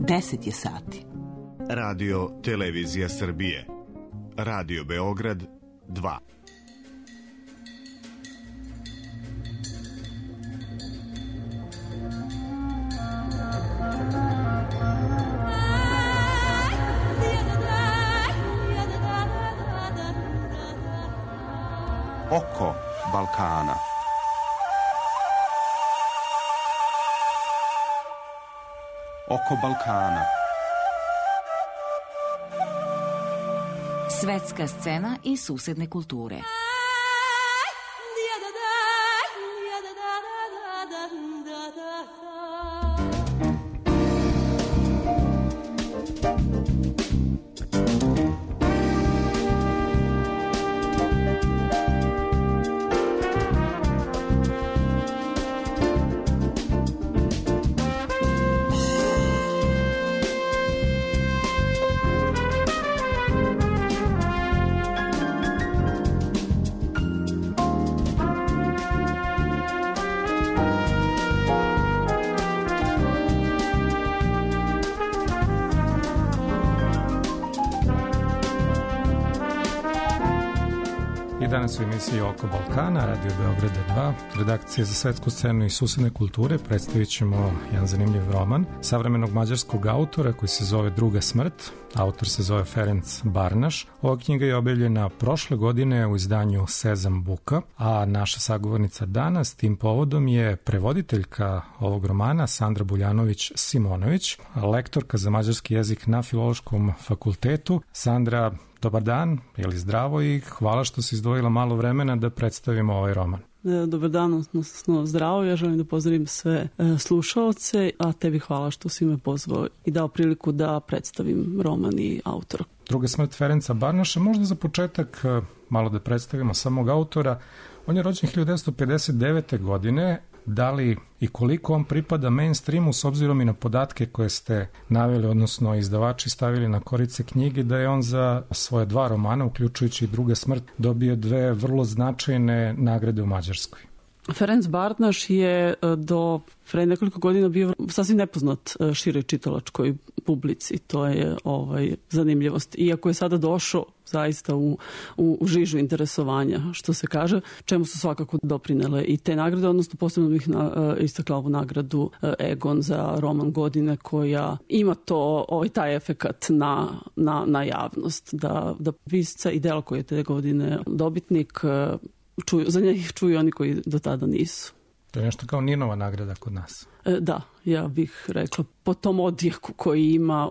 10 je sati. Radio Televizija Srbije. Radio Beograd 2. Oko Balkana. Oko Balkana. Svetska scena i susedne kulture. Danas u emisiji Oko Balkana, Radio Beograda 2, redakcije za svetsku scenu i susedne kulture, predstavit ćemo jedan zanimljiv roman savremenog mađarskog autora koji se zove Druga smrt. Autor se zove Ferenc Barnaš. Ova knjiga je objavljena prošle godine u izdanju Sezam Buka, a naša sagovornica danas tim povodom je prevoditeljka ovog romana Sandra Buljanović-Simonović, lektorka za mađarski jezik na Filološkom fakultetu. Sandra, dobar dan, je li zdravo i hvala što si izdvojila malo vremena da predstavimo ovaj roman. Dobar dan, odnosno zdravo. Ja želim da pozdravim sve slušaoce, a tebi hvala što si me pozvao i dao priliku da predstavim roman i autora. Druga smrt Ferenca Barnaša. Možda za početak malo da predstavimo samog autora. On je rođen 1959. godine. Da li i koliko on pripada mainstreamu s obzirom i na podatke koje ste naveli, odnosno izdavači stavili na korice knjige, da je on za svoje 2 romana, uključujući Druga smrt, dobio 2 vrlo značajne nagrade u Mađarskoj. Ferenc Barnaš je do pre nekoliko godina bio sasvim nepoznat široj čitalačkoj publici. To je zanimljivost. Iako je sada došao zaista u žižu interesovanja, što se kaže, čemu su svakako doprinele i te nagrade, odnosno posebno bih istakla ovu nagradu Egon za roman godine, koja ima taj efekat na javnost, da pisca i delo koje je te godine dobitnik za njih čuju oni koji do tada nisu. To je nešto kao Ninova nagrada kod nas. Da, ja bih rekla po tom odjeku koji ima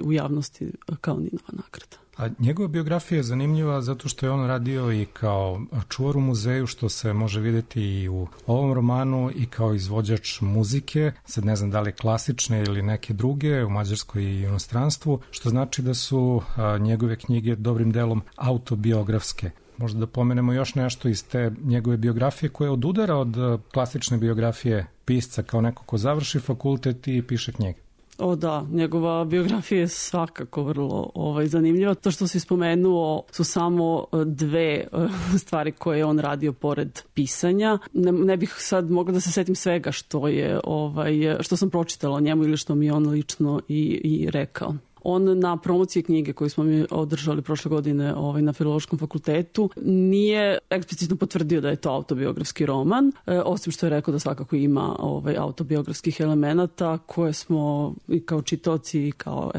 u javnosti kao Ninova nagrada. A njegova biografija je zanimljiva zato što je on radio i kao čuvar u muzeju, što se može vidjeti i u ovom romanu, i kao izvođač muzike, sad ne znam da li klasične ili neke druge, u Mađarskoj i inostranstvu, što znači da su njegove knjige dobrim delom autobiografske. Možda da pomenemo još nešto iz te njegove biografije koja odudara od klasične biografije pisca kao neko ko završi fakultet i piše knjige. O da, njegova biografija je svakako vrlo zanimljiva. To što si spomenuo su samo 2 stvari koje je on radio pored pisanja. Ne bih sad mogla da se setim svega što sam pročitala o njemu ili što mi je on lično i rekao. On na promociji knjige koju smo mi održali prošle godine na Filološkom fakultetu nije eksplicitno potvrdio da je to autobiografski roman, osim što je rekao da svakako ima autobiografskih elemenata koje smo i kao čitaoci i kao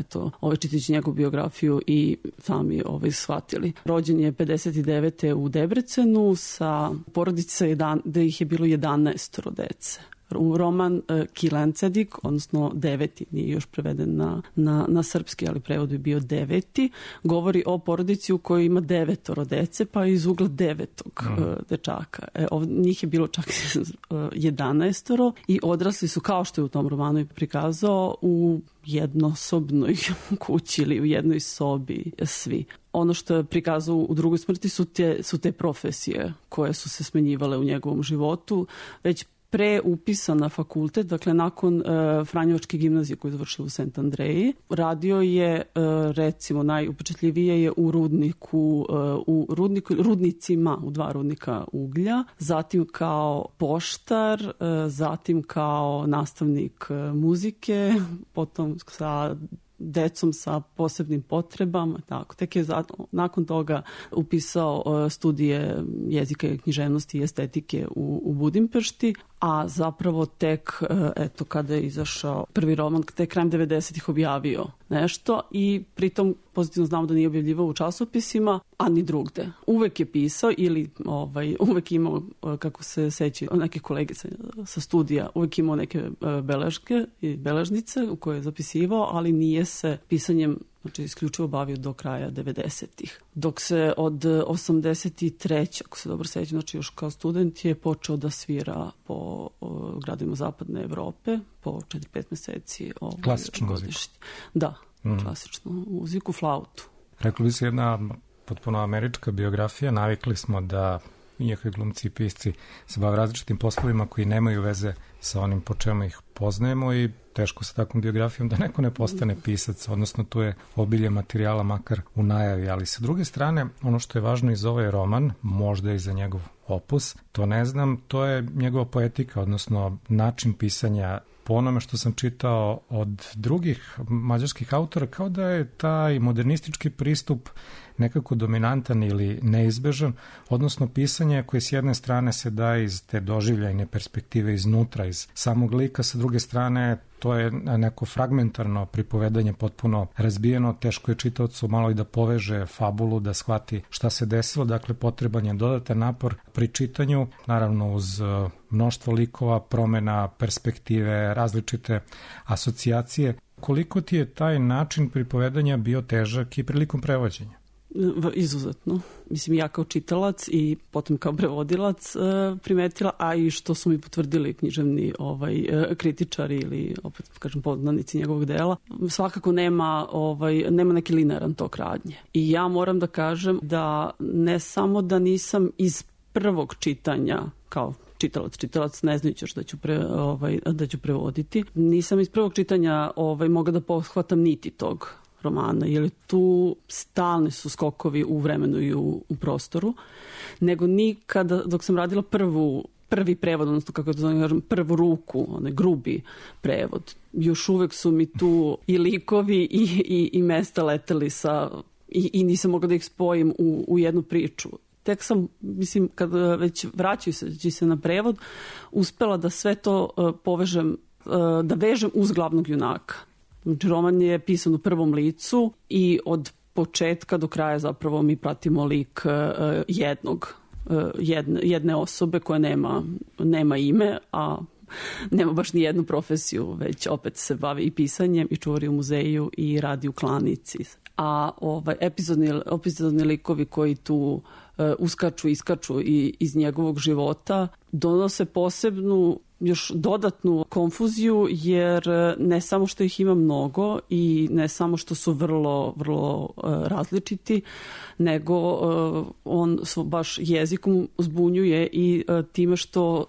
čitajući njegovu biografiju i sami shvatili. Rođen je 59. u Debrecenu sa porodice da ih je bilo 11 dece. Roman Kilencedik, odnosno 9, nije još preveden na srpski, ali prevod bi bio 9, govori o porodici u kojoj ima 9 dece, pa iz ugla 9. dečaka. Njih je bilo čak 11 i odrasli su, kao što je u tom romanu prikazao, u jednosobnoj kući ili u jednoj sobi svi. Ono što je prikazao u Drugoj smrti su te profesije koje su se smenjivale u njegovom životu. Već pre upisa na fakultet, dakle nakon Franjevačke gimnazije koju je završila u St. Andreji. Radio je, recimo, najupečetljivije je u rudnicima, u 2 rudnika uglja, zatim kao poštar, zatim kao nastavnik muzike, potom sa decom sa posebnim potrebama, tako. Tek je nakon toga upisao studije jezika i književnosti i estetike u Budimpešti, a zapravo tek, eto, kada je izašao prvi roman, tek krajem 90-ih objavio nešto i pritom pozitivno znamo da nije objavljivao u časopisima, a ni drugde. Uvek je pisao ili uvek imao, kako se seća neke kolege sa studija, uvek imao neke beleške i beležnice u koje je zapisivao, ali nije se pisanjem isključivo bavio do kraja 90-ih. Dok se od 83. ako se dobro sećam, znači još kao student je počeo da svira po gradovima Zapadne Evrope po 4-5 meseci. Klasičnu muziku. Da, klasičnu muziku, flautu. Rekli bi se jedna potpuno američka biografija. Navikli smo da iako glumci i pisci se bave različitim poslovima koji nemaju veze sa onim po čemu ih poznajemo i teško sa takvom biografijom da neko ne postane pisac, odnosno tu je obilje materijala makar u najavi, ali sa druge strane ono što je važno i za ovaj roman, možda i za njegov opus, to ne znam, to je njegova poetika, odnosno način pisanja. Po onome što sam čitao od drugih mađarskih autora, kao da je taj modernistički pristup nekako dominantan ili neizbežan, odnosno pisanje koje s jedne strane se daje iz te doživljajne perspektive iznutra, iz samog lika, sa druge strane to je neko fragmentarno pripovedanje, potpuno razbijeno, teško je čitaocu malo i da poveže fabulu, da shvati šta se desilo, dakle potreban je dodatan napor pri čitanju, naravno uz mnoštvo likova, promena perspektive, različite asocijacije. Koliko ti je taj način pripovedanja bio težak i prilikom prevođenja? Izuzetno. Mislim, ja kao čitalac i potom kao prevodilac primetila, a i što su mi potvrdili književni kritičari ili, opet kažem, poznanici njegovog dela, svakako nema neki linearan tok radnje. I ja moram da kažem da ne samo da nisam iz prvog čitanja kao čitalac ne znajući još da ću prevoditi, nisam iz prvog čitanja mogla da pohvatam niti tog romana, jer tu stalni su skokovi u vremenu i u prostoru, nego nikada, dok sam radila prvi prevod, odnosno kako to zovem, prvu ruku, onaj grubi prevod, još uvek su mi tu i likovi i mesta leteli i nisam mogla da ih spojim u jednu priču. Tek sam, mislim, kad već vraćajući se na prevod, uspela da sve to povežem, da vežem uz glavnog junaka. Znači, roman je pisan u prvom licu i od početka do kraja zapravo mi pratimo lik jedne osobe koja nema ime, a nema baš ni jednu profesiju, već opet se bavi i pisanjem i čuvari u muzeju i radi u klanici. A epizodni likovi koji tu iskaču iz njegovog života donose posebnu, još dodatnu konfuziju, jer ne samo što ih ima mnogo i ne samo što su vrlo, vrlo različiti, nego on baš jezikom zbunjuje i time što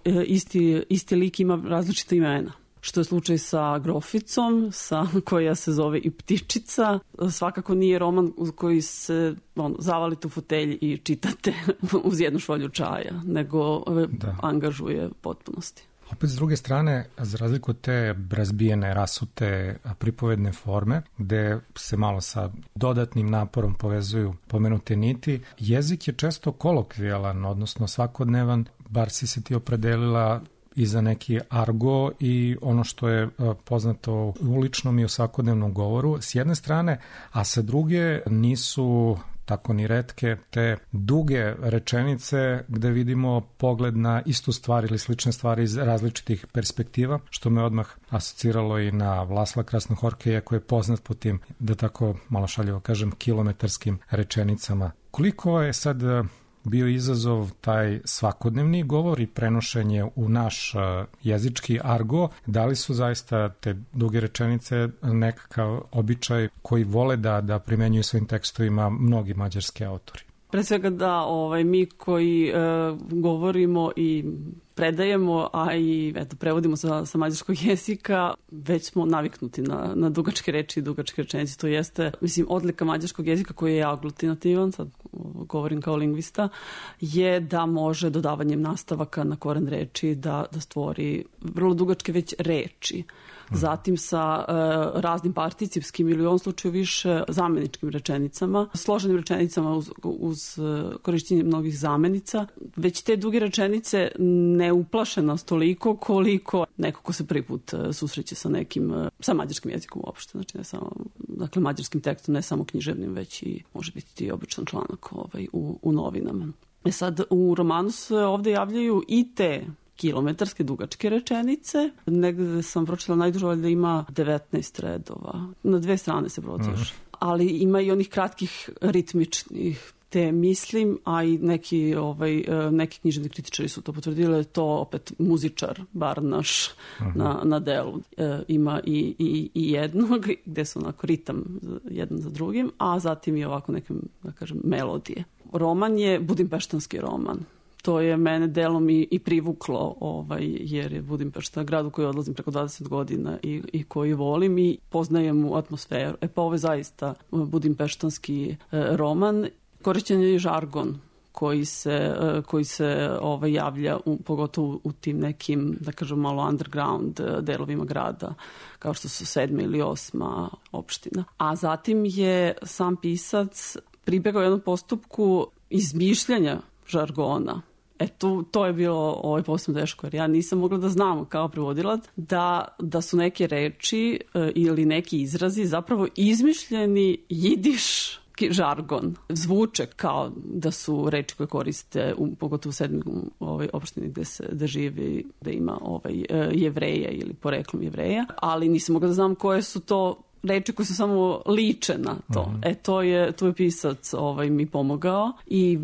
isti lik ima različita imena. Što je slučaj sa Groficom, koja se zove i Ptičica. Svakako nije roman koji se zavalite u fotelji i čitate uz jednu šolju čaja, nego angažuje potpunosti. Opet s druge strane, za razliku od te razbijene, rasute pripovedne forme, gde se malo sa dodatnim naporom povezuju pomenute niti, jezik je često kolokvijalan, odnosno svakodnevan, bar si se ti opredelila i za neki argo i ono što je poznato u ličnom i u svakodnevnom govoru s jedne strane, a sa druge nisu tako ni retke te duge rečenice gde vidimo pogled na istu stvar ili slične stvari iz različitih perspektiva, što me odmah asociralo i na Vlasla Krasnohorkeja, koji je poznat po tim, da tako malo šaljivo kažem, kilometarskim rečenicama. Koliko je sad bio izazov taj svakodnevni govor i prenošenje u naš jezički argo, da li su zaista te duge rečenice nekakav običaj koji vole da primenjuju svojim tekstovima mnogi mađarski autori? Pre svega da mi koji govorimo i predajemo, a i prevodimo sa mađarskog jezika, već smo naviknuti na dugačke reči i dugačke rečenice. To jeste, odlika mađarskog jezika koji je aglutinativan, sad govorim kao lingvista, je da može dodavanjem nastavaka na koren reči da stvori vrlo dugačke već reči. Zatim sa raznim participskim ili u ovom slučaju više zameničkim rečenicama, složenim rečenicama uz korišćenje mnogih zamenica. Već te duge rečenice ne uplaše nas toliko koliko neko ko se prvi put susreće sa mađarskim jezikom uopšte. Znači ne samo, mađarskim tekstom, ne samo književnim, već i može biti i običan članak u novinama. Sad u romanu se ovde javljaju i te kilometarske dugačke rečenice. Negde sam pročitala najduže da ima 19 redova. Na 2 strane se proteže. Ali ima i onih kratkih ritmičnih. Te mislim, a i neki književni kritičari su to potvrdili, to opet muzičar, Barnaš na delu. Ima i jednog, gde su onako ritam jedan za drugim, a zatim i ovako neke, da kažem, melodije. Roman je budimpeštanski roman. To je mene delom i privuklo, jer je Budimpešta grad u koji odlazim preko 20 godina i koji volim i poznajem u atmosferu. Pa ovo je zaista budimpeštanski roman. Korišćen je i žargon koji se javlja pogotovo u tim nekim, da kažem, malo underground delovima grada, kao što su 7. ili 8. opština. A zatim je sam pisac pribegao jednom postupku izmišljanja žargona. To je bilo posebno teško, jer ja nisam mogla da znam kao prevodilac da su neke reči ili neki izrazi zapravo izmišljeni jidiš žargon. Zvuče kao da su reči koje koriste pogotovo u 7. opštini gde živi, gde ima Jevreja ili poreklom Jevreja, ali nisam mogla da znam koje su to reči koje su samo liče na to. Tu je pisac mi pomogao i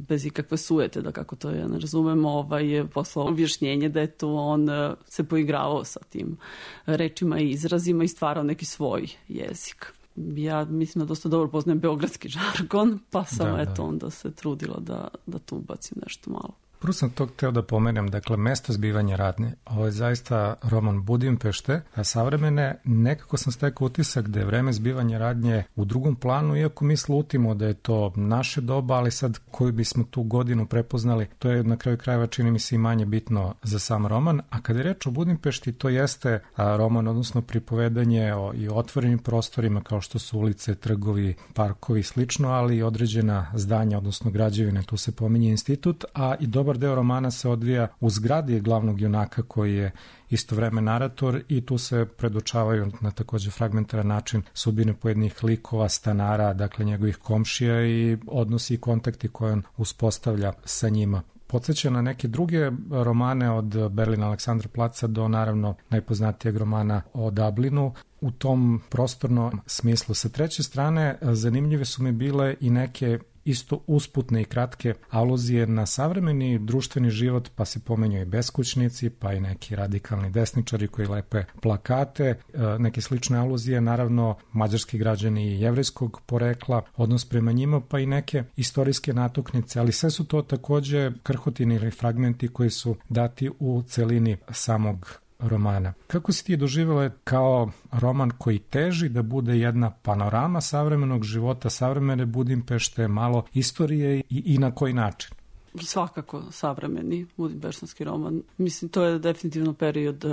bez ikakve sujete, da kako to ja ne razumem, je poslao objašnjenje da je to on se poigravao sa tim rečima i izrazima i stvarao neki svoj jezik. Ja mislim da dosta dobro poznajem beogradski žargon, pa sam onda se trudila da tu ubacim nešto malo. Prvo sam to hteo da pomenem, dakle, mesto zbivanja radnje. Ovo je zaista roman Budimpešte, a savremene, nekako sam stekao utisak da je vreme zbivanja radnje u drugom planu, iako mi slutimo da je to naše doba, ali sad koju bismo tu godinu prepoznali, to je na kraju krajeva čini mi se i manje bitno za sam roman. A kada je reč o Budimpešti, to jeste roman, odnosno pripovedanje i otvorenim prostorima kao što su ulice, trgovi, parkovi i slično, ali i određena zdanja, odnosno građevine, tu se pominje institut, a i dobar deo romana se odvija u zgradi glavnog junaka koji je istovremeno narator i tu se predočavaju na takođe fragmentaran način sudbine pojedinih likova, stanara, dakle njegovih komšija i odnosi i kontakti koje on uspostavlja sa njima. Podsjeća na neke druge romane od Berlina Aleksandroplaca do naravno najpoznatijeg romana o Dublinu. U tom prostornom smislu. Sa treće strane, zanimljive su mi bile i neke isto usputne i kratke aluzije na savremeni društveni život, pa se pomenju i beskućnici, pa i neki radikalni desničari koji lepe plakate, neke slične aluzije, naravno mađarski građani i jevrejskog porekla, odnos prema njima, pa i neke istorijske natuknice, ali sve su to takođe krhotine ili fragmenti koji su dati u celini samog romana. Kako si ti doživjela kao roman koji teži da bude jedna panorama savremenog života, savremene Budimpešte, malo istorije i na koji način? Svakako savremeni budimpeštanski roman. Mislim, to je definitivno period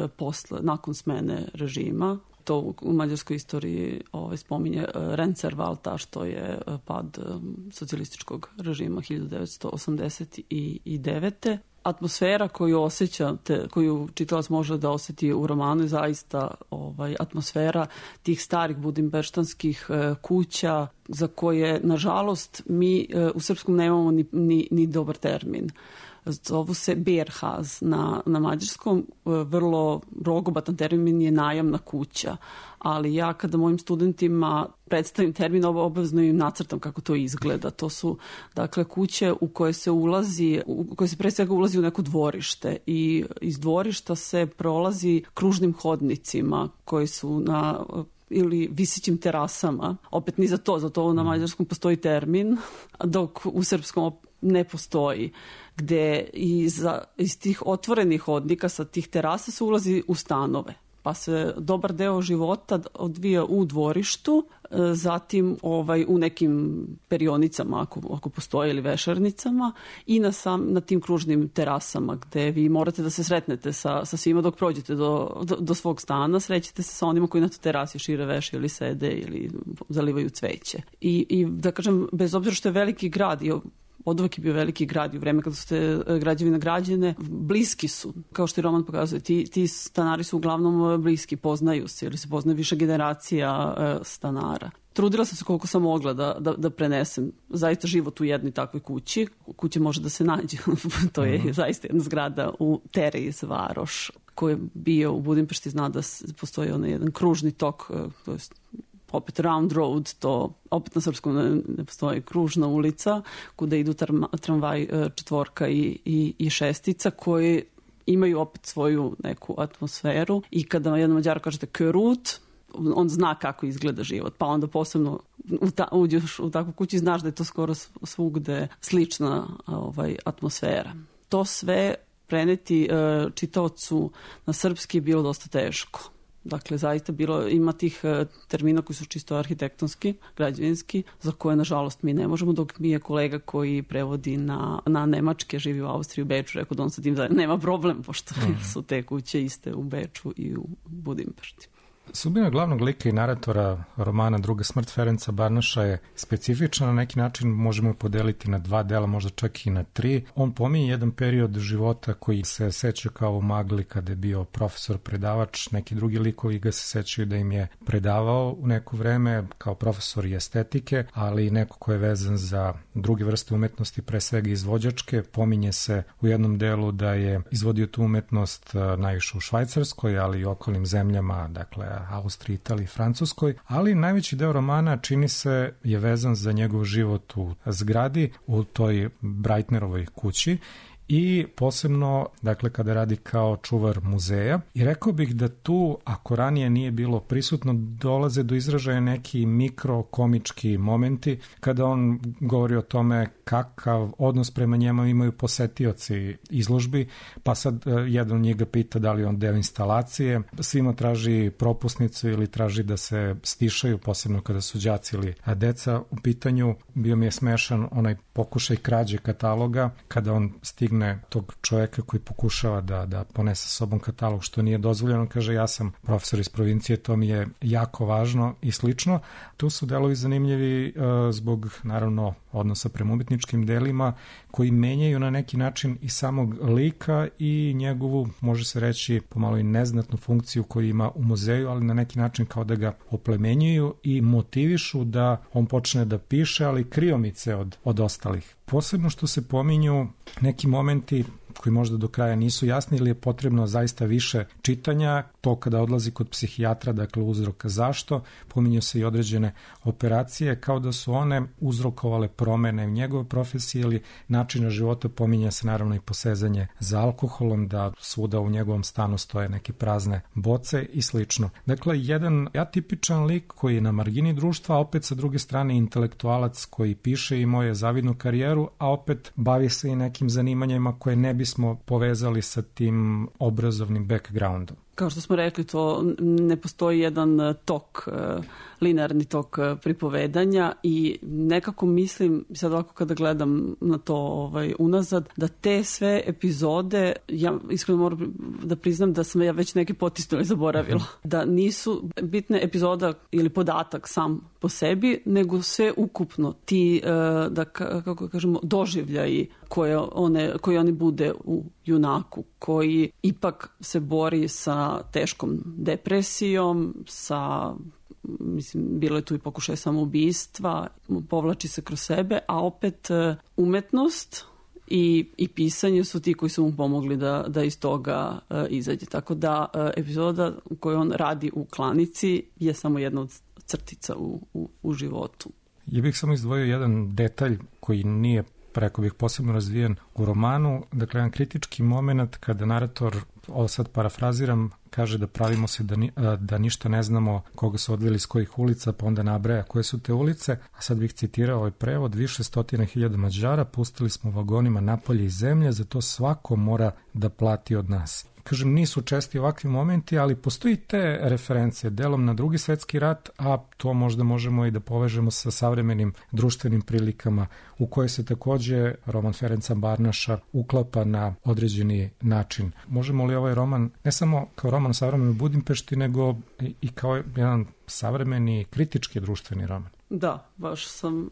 nakon smene režima. To u mađarskoj istoriji spominje Rendszervalta, što je pad socijalističkog režima 1989. Atmosfera koju osjećate, koju čitalac može da osjeti u romanu je zaista atmosfera tih starih budimpeštanskih kuća za koje, nažalost, mi u srpskom nemamo ni dobar termin. Zovu se Bärhaus na mađarskom, vrlo rogobatan termin je najamna kuća, ali ja kada mojim studentima predstavim termin, obavezno im nacrtam kako to izgleda. To su, dakle, kuće u koje se ulazi, u koje se pre svega ulazi u neko dvorište i iz dvorišta se prolazi kružnim hodnicima koji su ili visićim terasama. Opet ni za to na mađarskom postoji termin, dok u srpskom ne postoji, gde iz tih otvorenih hodnika sa tih terasa se ulazi u stanove. Pa se dobar deo života odvija u dvorištu, zatim u nekim perionicama ako postoje ili vešernicama i na tim kružnim terasama gde vi morate da se sretnete sa svima dok prođete do svog stana, srećete se sa onima koji na toj terasi šire veše ili sede ili zalivaju cveće. I da kažem, bez obzira što je veliki grad i od uvek je bio veliki grad i u vreme kada su te građevine građene, bliski su, kao što i roman pokazuje, ti stanari su uglavnom bliski, poznaju se ili se poznaju više generacija stanara. Trudila sam se koliko sam mogla da prenesem zaista život u jednoj takvoj kući. Kuća može da se nađe, to je zaista jedna zgrada u Tereis Varoš, koji je bio u Budimpešti, zna da postoji onaj jedan kružni tok, to je opet round road, to opet na srpskom ne postoji, kružna ulica kuda idu tramvaj četvorka i šestica koji imaju opet svoju neku atmosferu i kada jednom Mađaru kažete Körút, on zna kako izgleda život, pa onda posebno uđeš u takvu kuću i znaš da je to skoro svugde slična atmosfera. To sve preneti čitaocu na srpski je bilo dosta teško. Dakle, zaista ima tih termina koji su čisto arhitektonski, građevinski, za koje, nažalost, mi ne možemo, dok mi je kolega koji prevodi na nemačke, živi u Austriji, u Beču, rekao da on sa tim nema problem, pošto su te kuće iste u Beču i u Budimpešti. Sudbina glavnog lika i naratora romana Druga smrt Ferenca Barnaša je specifična, na neki način možemo je podeliti na 2 dela, možda čak i na 3. On pominje jedan period života koji se seća kao u magli kada je bio profesor predavač, neki drugi likovi ga se sećaju da im je predavao u neko vreme kao profesor i estetike, ali i neko ko je vezan za druge vrste umetnosti, pre svega izvođačke. Pominje se u jednom delu da je izvodio tu umetnost najviše u Švajcarskoj, ali i okolnim zemljama, dakle Austriji, Italiji, Francuskoj, ali najveći deo romana čini se je vezan za njegov život u zgradi, u toj Breitnerovoj kući i posebno, dakle, kada radi kao čuvar muzeja. I rekao bih da tu, ako ranije nije bilo prisutno, dolaze do izražaja neki mikrokomički momenti kada on govori o tome kakav odnos prema njemu imaju posetioci izložbi, pa sad jedan od njih ga pita da li on deo instalacije, svima traži propusnicu ili traži da se stišaju, posebno kada su đaci ili deca u pitanju. Bio mi je smešan onaj pokušaj krađe kataloga, kada on stigne tog čoveka koji pokušava da ponese sa sobom katalog, što nije dozvoljeno, kaže ja sam profesor iz provincije, to mi je jako važno i slično. Tu su delovi zanimljivi zbog, naravno, odnosa prema umetničkim delima koji menjaju na neki način i samog lika i njegovu, može se reći, pomalo i neznatnu funkciju koju ima u muzeju, ali na neki način kao da ga oplemenjuju i motivišu da on počne da piše, ali kriomice od ostalih. Posebno što se pominju neki momenti koji možda do kraja nisu jasni ili je potrebno zaista više čitanja, to kada odlazi kod psihijatra, dakle uzroka zašto, pominju se i određene operacije, kao da su one uzrokovale promene u njegove profesije ili načina života, pominje se naravno i posezanje za alkoholom, da svuda u njegovom stanu stoje neke prazne boce i slično. Dakle, jedan atipičan lik koji je na margini društva, a opet sa druge strane intelektualac koji piše i imao je zavidnu karijeru, a opet bavi se i nekim zanimanjima koje ne bismo povezali sa tim obrazovnim backgroundom. Kao što smo rekli, to ne postoji jedan tok, linearni tok pripovedanja i nekako mislim, sad ovako kada gledam na to unazad, da te sve epizode, ja iskreno moram da priznam da sam ja već neke potisnula i zaboravila. Da nisu bitne epizoda ili podatak sam po sebi, nego sve ukupno ti, da kako kažemo, doživljaji koje oni bude u junaku, koji ipak se bori sa teškom depresijom, sa, mislim, bilo je tu i pokušaj samoubistva, povlači se kroz sebe, a opet umetnost i pisanje su ti koji su mu pomogli da iz toga izađe. Tako da epizoda u kojoj on radi u klanici je samo jedna od crtica u životu. Ja bih samo izdvojio jedan detalj koji nije rekao bih, posebno razvijen u romanu. Dakle, jedan kritički moment kada narator, ovo sad parafraziram, kaže da pravimo se da ništa ne znamo koga su odveli iz kojih ulica, pa onda nabraja koje su te ulice. A sad bih citirao ovaj prevod: više stotina hiljada Mađara pustili smo vagonima napolje iz zemlje, zato svako mora da plati od nas. Kažem, nisu česti ovakvi momenti, ali postoji te referencije delom na Drugi svetski rat, a to možda možemo i da povežemo sa savremenim društvenim prilikama u koje se takođe roman Ferenca Barnaša uklapa na određeni način. Možemo li ovaj roman, ne samo kao roman o savremenoj Budimpešti, nego i kao jedan savremeni kritički društveni roman? Da, baš sam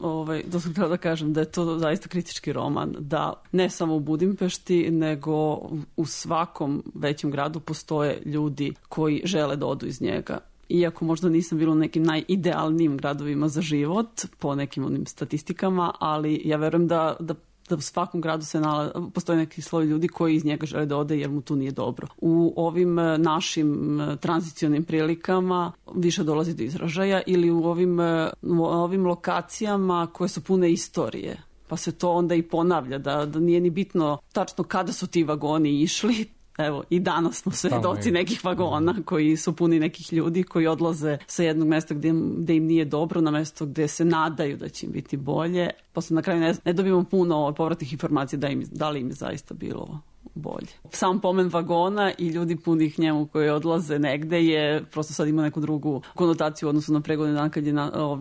htjela da kažem da je to zaista kritički roman, da ne samo u Budimpešti, nego u svakom većem gradu postoje ljudi koji žele da odu iz njega. Iako možda nisam bila u nekim najidealnijim gradovima za život, po nekim onim statistikama, ali ja verujem da u svakom gradu postoji neki sloj ljudi koji iz njega žele da ode jer mu tu nije dobro. U ovim našim tranzicionim prilikama više dolazi do izražaja, ili u ovim lokacijama koje su pune istorije. Pa se to onda i ponavlja, da nije ni bitno tačno kada su ti vagoni išli. Evo, i danas smo svedoci nekih vagona koji su puni nekih ljudi koji odlaze sa jednog mesta gde im nije dobro na mesto gde se nadaju da će im biti bolje. Posle na kraju ne dobijemo puno povratnih informacija da li im je zaista bilo bolje. Sam pomen vagona i ljudi punih njemu koji odlaze negde je prosto sad ima neku drugu konotaciju u odnosu na pre godinu dana kad je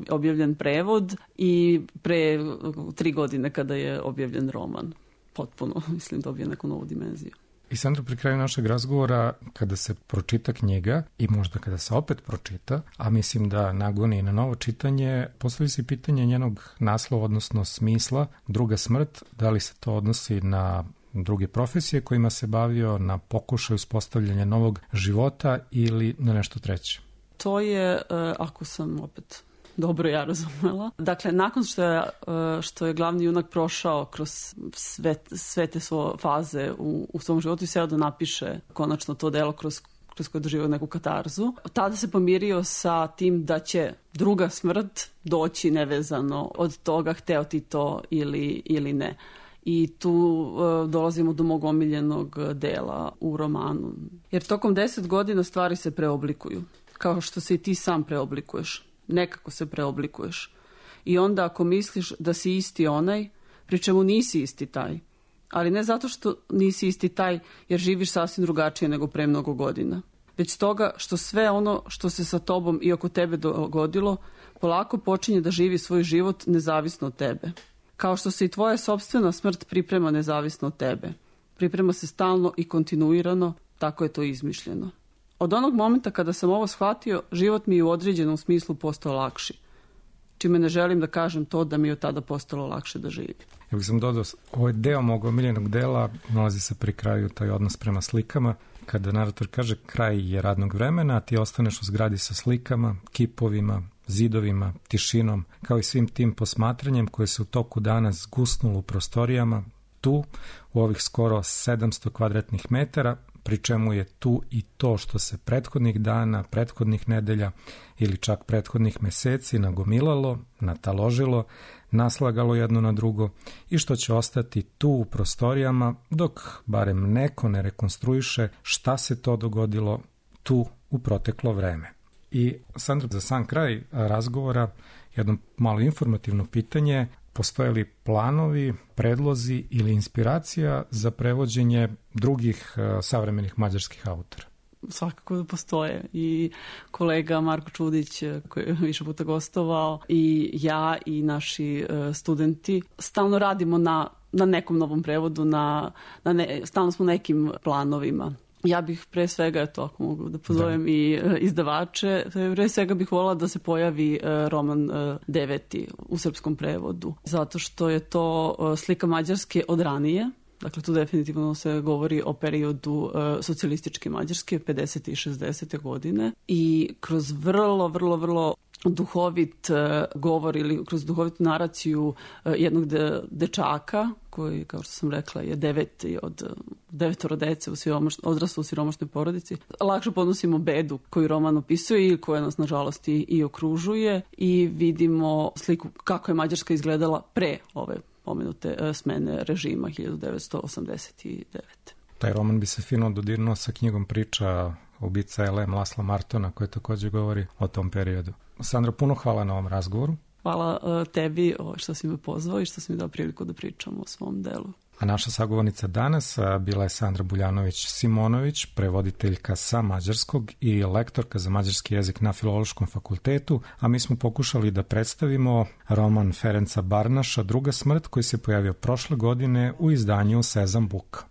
objavljen prevod i pre 3 godine kada je objavljen roman. Potpuno, mislim, dobije neku novu dimenziju. I Sandra, pri kraju našeg razgovora, kada se pročita knjiga i možda kada se opet pročita, a mislim da nagoni na novo čitanje, postavi se pitanje njenog naslova, odnosno smisla, Druga smrt, da li se to odnosi na druge profesije kojima se bavio, na pokušaj uspostavljanja novog života ili na nešto treće? To je, ako sam opet dobro ja razumela. Dakle, nakon što je glavni junak prošao kroz sve te svoje faze u svom životu i seo da napiše konačno to delo kroz koje je doživio neku katarzu, tada se pomirio sa tim da će druga smrt doći nevezano od toga hteo ti to ili ne. I tu dolazimo do mog omiljenog dela u romanu. Jer tokom 10 godina stvari se preoblikuju. Kao što se i ti sam preoblikuješ. Nekako se preoblikuješ. I onda ako misliš da si isti onaj, pri čemu nisi isti taj. Ali ne zato što nisi isti taj jer živiš sasvim drugačije nego pre mnogo godina. Već stoga što sve ono što se sa tobom i oko tebe dogodilo, polako počinje da živi svoj život nezavisno od tebe. Kao što se i tvoja sopstvena smrt priprema nezavisno od tebe. Priprema se stalno i kontinuirano, tako je to izmišljeno. Od onog momenta kada sam ovo shvatio, život mi je u određenom smislu postao lakši. Čime ne želim da kažem to da mi je od tada postalo lakše da živim. Ja bih sam dodao, ovaj deo mog omiljenog dela nalazi se pri kraju, taj odnos prema slikama, kada narator kaže kraj je radnog vremena, a ti ostaneš u zgradi sa slikama, kipovima, zidovima, tišinom, kao i svim tim posmatranjem koje se u toku dana zgusnulo u prostorijama, tu, u ovih skoro 700 kvadratnih metara, pri čemu je tu i to što se prethodnih dana, prethodnih nedelja ili čak prethodnih meseci nagomilalo, nataložilo, naslagalo jedno na drugo i što će ostati tu u prostorijama dok barem neko ne rekonstruiše šta se to dogodilo tu u proteklo vreme. I Sandra, za sam kraj razgovora jedno malo informativno pitanje: postoje li planovi, predlozi ili inspiracija za prevođenje drugih savremenih mađarskih autora? Svakako da postoje. I kolega Marko Čudić, koji je više puta gostovao, i ja i naši studenti stalno radimo na nekom novom prevodu, stalno smo nekim planovima. Ja bih pre svega, ako mogu da pozovem i izdavače, pre svega bih volila da se pojavi roman 9. u srpskom prevodu, zato što je to slika Mađarske od ranije. Dakle, tu definitivno se govori o periodu socijalističke Mađarske, 50. i 60. godine. I kroz vrlo duhovit govor ili kroz duhovitu naraciju jednog dečaka, koji, kao što sam rekla, je 9. od 9 dece odraslo u siromašnoj porodici. Lakše podnosimo bedu koju roman opisuje i koja nas, nažalost, i okružuje, i vidimo sliku kako je Mađarska izgledala pre ove pomenute smene režima 1989. Taj roman bi se fino dodirnuo sa knjigom Priča ubica L.M. Lasla Martona, koja takođe govori o tom periodu. Sandra, puno hvala na ovom razgovoru. Hvala tebi što si me pozvao i što si mi dao priliku da pričam o svom delu. A naša sagovornica danas bila je Sandra Buljanović-Simonović, prevoditeljka sa mađarskog i lektorka za mađarski jezik na Filološkom fakultetu, a mi smo pokušali da predstavimo roman Ferenca Barnaša Druga smrt, koji se pojavio prošle godine u izdanju Sezam Book.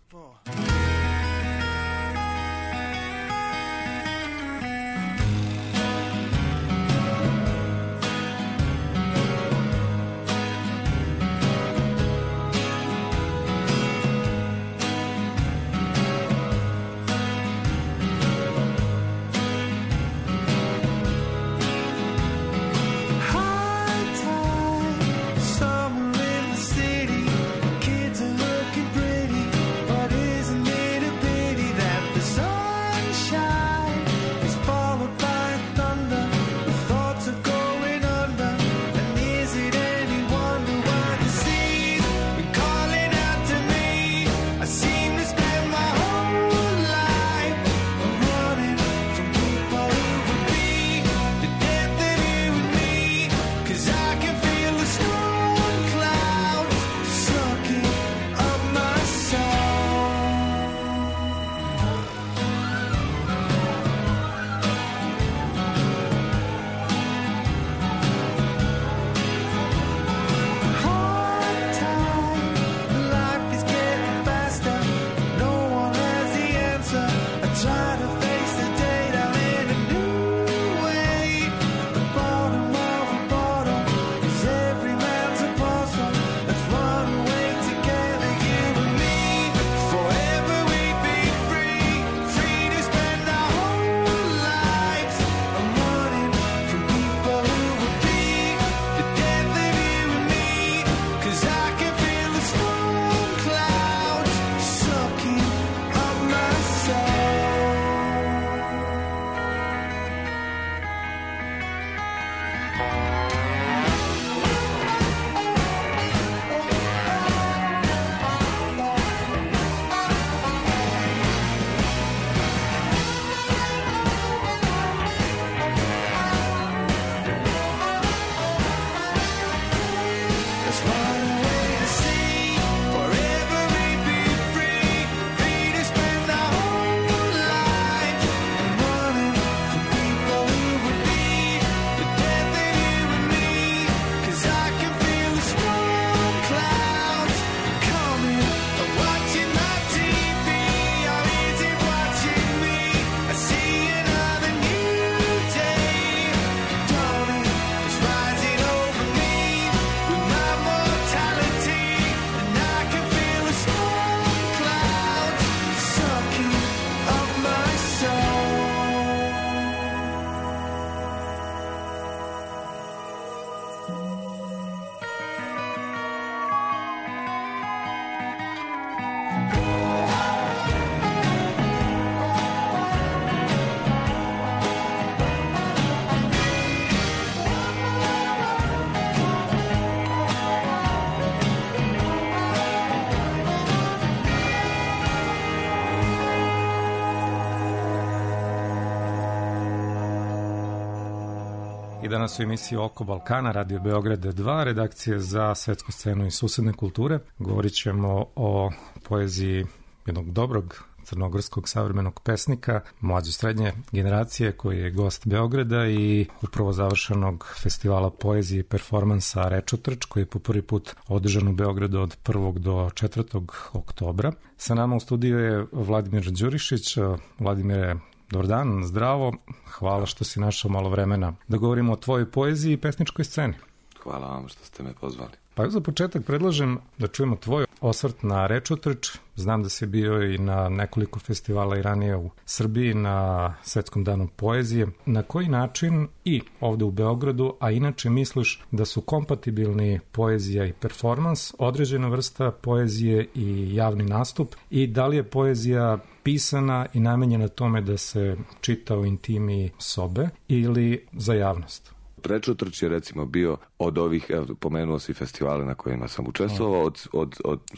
I danas u emisiji Oko Balkana, Radio Beograd 2, redakcije za svetsku scenu i susedne kulture. Govorit ćemo o poeziji jednog dobrog crnogorskog savremenog pesnika, mlađe srednje generacije, koji je gost Beograda i upravo završenog festivala poezije i performansa Rečotrč, koji je po prvi put održan u Beogradu od 1. do 4. oktobra. Sa nama u studiju je Vladimir Đurišić. Vladimire, dobar dan, zdravo. Hvala što si našao malo vremena da govorimo o tvojoj poeziji i pesničkoj sceni. Hvala vam što ste me pozvali. Pa za početak predlažem da čujemo tvoj osvrt na Rečotrč. Znam da si bio i na nekoliko festivala i ranije u Srbiji na Svetskom danu poezije. Na koji način i ovde u Beogradu, a inače misliš da su kompatibilni poezija i performans, određena vrsta poezije i javni nastup, i da li je poezija pisana i namenjena tome da se čita u intimi sobe ili za javnost? Prečutrć je recimo bio od ovih, evo, pomenuo si festivale na kojima sam učestvovao,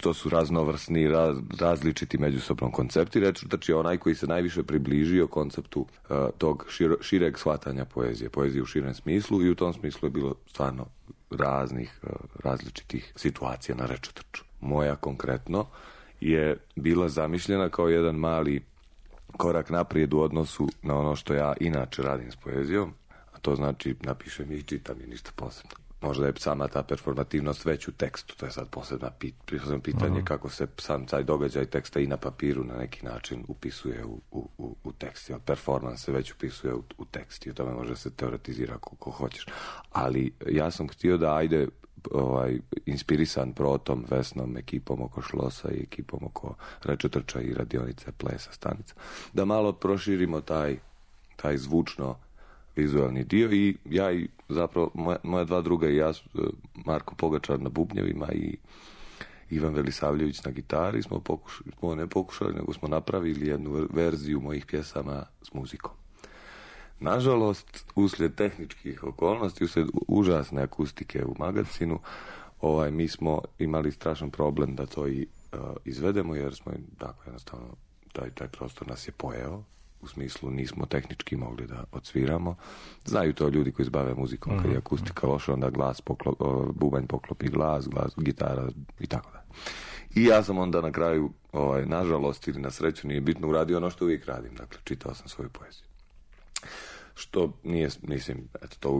to su raznovrsni, različiti međusobno koncepti. Prečutrć je onaj koji se najviše približio konceptu tog šireg shvatanja poezije u širem smislu, i u tom smislu je bilo stvarno različitih situacija na Rečutrču. Moja konkretno je bila zamišljena kao jedan mali korak naprijed u odnosu na ono što ja inače radim s poezijom, a to znači napišem i čitam i ništa posebno. Možda je sama ta performativnost već u tekstu, to je sad posebno pitanje kako se sam taj događaj teksta i na papiru na neki način upisuje u tekst. Performans se već upisuje u tekst i o tome može se teoretizira kako hoćeš. Ali ja sam htio da inspirisan Protom, Vesnom, ekipom oko Šlosa i ekipom oko Rečutrča i radionice Plesa stanica, da malo proširimo taj zvučno vizualni dio, i ja i zapravo moja dva druga i ja, Marko Pogačar na bubnjevima i Ivan Velisavljević na gitari, smo pokušali, nego smo napravili jednu verziju mojih pjesama s muzikom. Nažalost, uslijed tehničkih okolnosti, uslijed užasne akustike u magazinu, mi smo imali strašan problem da to i izvedemo, jer smo tako jednostavno taj prostor nas je pojeo. U smislu nismo tehnički mogli da odsviramo. Znaju to ljudi koji se bave muzikom, kad je akustika loša, onda bubanj poklopi glas, gitara i tako da. I ja sam onda na kraju, nažalost ili na sreću, nije bitno, uradio ono što uvijek radim. Dakle, čitao sam svoju poeziju. Što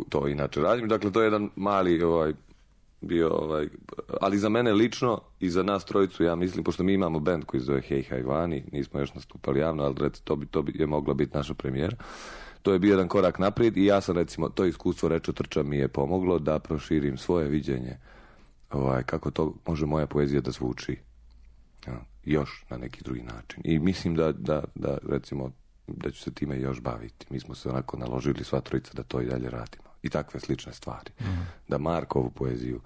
to inače radim. Dakle, to je jedan mali ali za mene lično i za nas trojicu, ja mislim, pošto mi imamo bend koji zove Hej Hajvani, nismo još nastupali javno, ali recimo to bi je mogla biti naša premijera. To je bio jedan korak naprijed i ja sam, recimo, to iskustvo Rečutrča mi je pomoglo da proširim svoje viđenje kako to može moja poezija da zvuči još na neki drugi način. I mislim da recimo da ću se time još baviti. Mi smo se onako naložili sva trojica da to i dalje radimo. I takve slične stvari. Da Markovu poeziju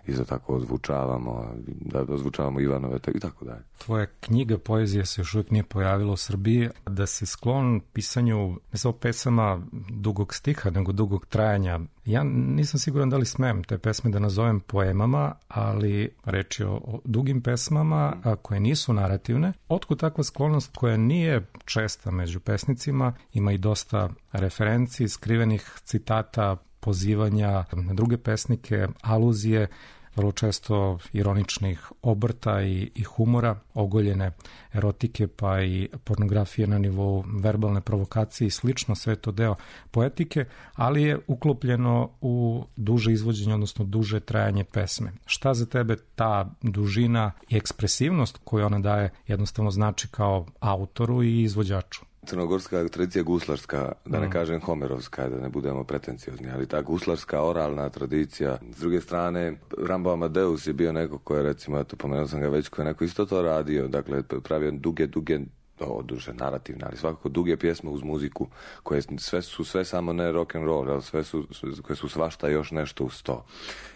isto tako ozvučavamo, da ozvučavamo Ivanove i tako dalje. Tvoja knjiga poezije se još uvijek nije pojavila u Srbiji, da si sklon pisanju ne samo pesama dugog stiha, nego dugog trajanja. Ja nisam siguran da li smem te pesme da nazovem poemama, ali reč je o dugim pesmama koje nisu narativne. Otkud takva sklonost koja nije česta među pesnicima, ima i dosta referenci, skrivenih citata, pozivanja na druge pesnike, aluzije, vrlo često ironičnih obrta i humora, ogoljene erotike pa i pornografije na nivou verbalne provokacije i slično, sve to deo poetike, ali je uklopljeno u duže izvođenje, odnosno duže trajanje pesme. Šta za tebe ta dužina i ekspresivnost koju ona daje jednostavno znači kao autoru i izvođaču? Crnogorska tradicija guslarska, da ne kažem homerovska, da ne budemo pretenciozni, ali ta guslarska oralna tradicija. S druge strane, Rambo Amadeus je bio neko ko je, recimo, pomenuo sam ga već, ko je neko isto to radio, dakle, pravio duge, duže narativne, ali svakako duge pjesme uz muziku, koje su sve samo ne rock and roll, ali koje su svašta još nešto uz to.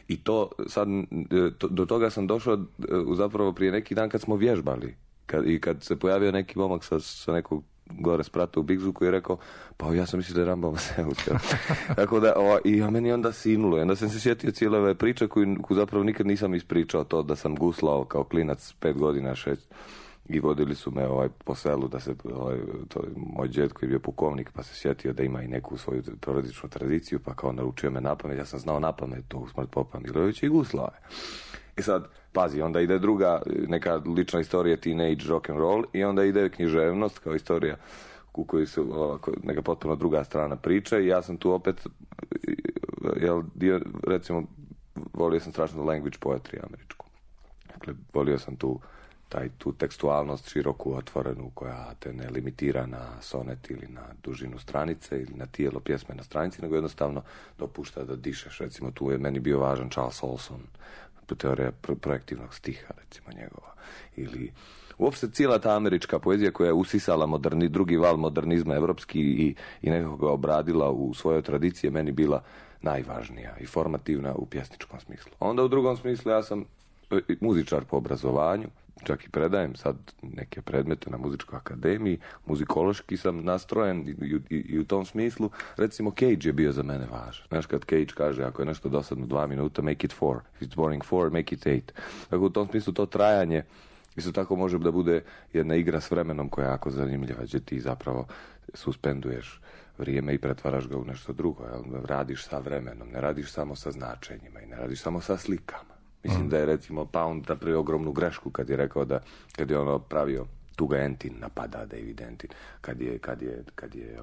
I to sad, do toga sam došao zapravo prije neki dan kad smo vježbali. Kad se pojavio neki momak sa nekog gore sprata u Bigzu koji je rekao, pa ja sam mislio da je Rambo Amadeus. Tako da, i meni onda sinulo. I onda sam se sjetio cijele ove priče koju zapravo nikad nisam ispričao, to da sam guslao kao klinac 5 godina, 6, i vodili su me po selu da se, moj džed koji je bio pukovnik, pa se sjetio da ima i neku svoju porodičnu tradiciju, pa kao naručio me napamet, ja sam znao napamet to Smrt popa Milojevića i guslao je. I sad, pazi, onda ide druga neka lična istorija, teenage rock and roll, i onda ide književnost kao istorija u kojoj se neka potpuno druga strana priče, i ja sam tu opet recimo volio sam strašno language poetry američku. Dakle, volio sam tu tekstualnost široku, otvorenu, koja te ne limitira na sonet ili na dužinu stranice ili na tijelo pjesme na stranici, nego jednostavno dopušta da dišeš. Recimo, tu je meni bio važan Charles Olson, teorija projektivnog stiha, recimo, njegova. Ili uopšte cijela ta američka poezija koja je usisala drugi val modernizma evropski i nekako ga obradila u svojoj tradiciji, je meni bila najvažnija i formativna u pjesničkom smislu. Onda u drugom smislu ja sam muzičar po obrazovanju, čak i predajem sad neke predmete na muzičkoj akademiji, muzikološki sam nastrojen i u tom smislu, recimo Cage je bio za mene važan. Znaš, kad Cage kaže, ako je nešto dosadno 2 minuta, make it 4. If it's boring 4, make it 8. Tako u tom smislu to trajanje isto tako može da bude jedna igra s vremenom koja je jako zanimljiva, gdje ti zapravo suspenduješ vrijeme i pretvaraš ga u nešto drugo. Radiš sa vremenom, ne radiš samo sa značenjima i ne radiš samo sa slikama. Mislim da je recimo Pound napravio ogromnu grešku kad je rekao da, kad je ono pravio Tuga Entin, napada David Entin, kad je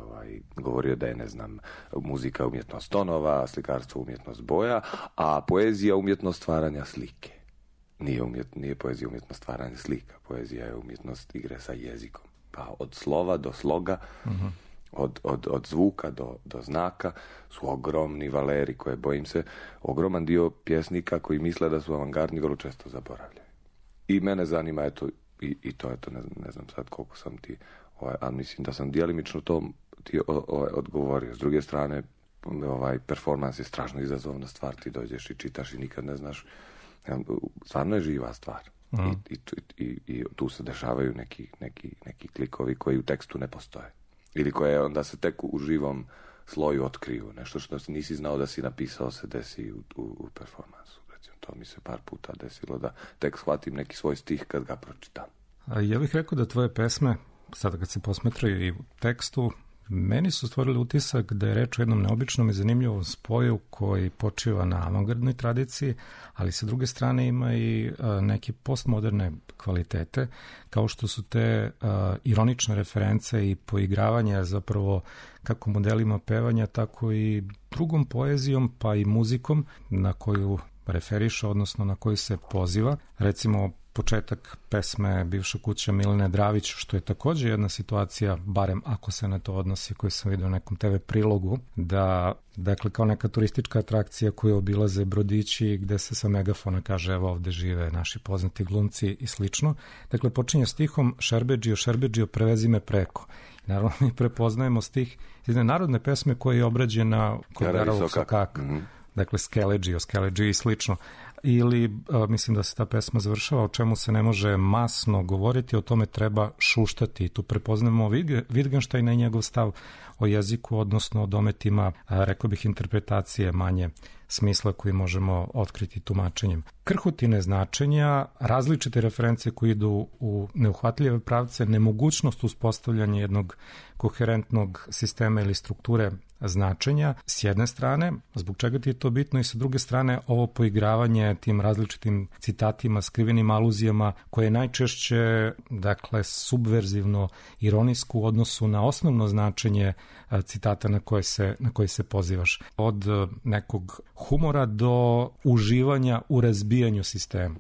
govorio da je, ne znam, muzika umjetnost tonova, slikarstvo umjetnost boja, a poezija umjetnost stvaranja slike. Nije poezija umjetnost stvaranja slika, poezija je umjetnost igre sa jezikom. Pa od slova do sloga, od zvuka do znaka su ogromni valeri koje, bojim se, ogroman dio pjesnika koji misle da su avangardni vrlo često zaboravljaju. I mene zanima, eto, i to, eto, ne znam sad koliko sam ti, ali mislim da sam djelimično to ti odgovorio. S druge strane, performans je strašno izazovna stvar, ti dođeš i čitaš i nikad ne znaš, stvarno je živa stvar. I tu se dešavaju neki klikovi koji u tekstu ne postoje. Ili koje onda se tek u živom sloju otkriju. Nešto što nisi znao da si napisao se desi u performansu. Recimo, to mi se par puta desilo da tek shvatim neki svoj stih kad ga pročitam. Ja bih rekao da tvoje pesme, sada kad se posmetraju i u tekstu, meni su stvorili utisak da je reč o jednom neobičnom i zanimljivom spoju koji počiva na avangardnoj tradiciji, ali sa druge strane ima i neke postmoderne kvalitete, kao što su te ironične reference i poigravanja zapravo kako modelima pevanja, tako i drugom poezijom, pa i muzikom na koju referiše, odnosno na koju se poziva. Recimo, početak pesme Bivša kuća Milene Dravić, što je također jedna situacija, barem ako se na to odnosi, koju sam vidio u nekom TV prilogu, da, dakle, kao neka turistička atrakcija koju obilaze brodići gde se sa megafona kaže evo ovde žive naši poznati glumci i slično. Dakle, počinje stihom Šerbedžio, prevezi me preko. I naravno mi prepoznajemo stih iz narodne pesme koja je obrađena kod Garavog Sokaka. Dakle, Skeleđio i slično. Ili, mislim da se ta pesma završava, o čemu se ne može masno govoriti, o tome treba šuštati. Tu prepoznamo Wittgensteina i njegov stav o jeziku, odnosno o dometima, rekao bih, interpretacije manje smisla koji možemo otkriti tumačenjem. Krhotine značenja, različite reference koje idu u neuhvatljive pravce, nemogućnost uspostavljanja jednog koherentnog sistema ili strukture značenja s jedne strane, zbog čega ti je to bitno, i sa druge strane ovo poigravanje tim različitim citatima, skrivenim aluzijama, koje je najčešće, dakle, subverzivno, ironijsko u odnosu na osnovno značenje citata na koje se pozivaš. Od nekog humora do uživanja u razbijanju sistema.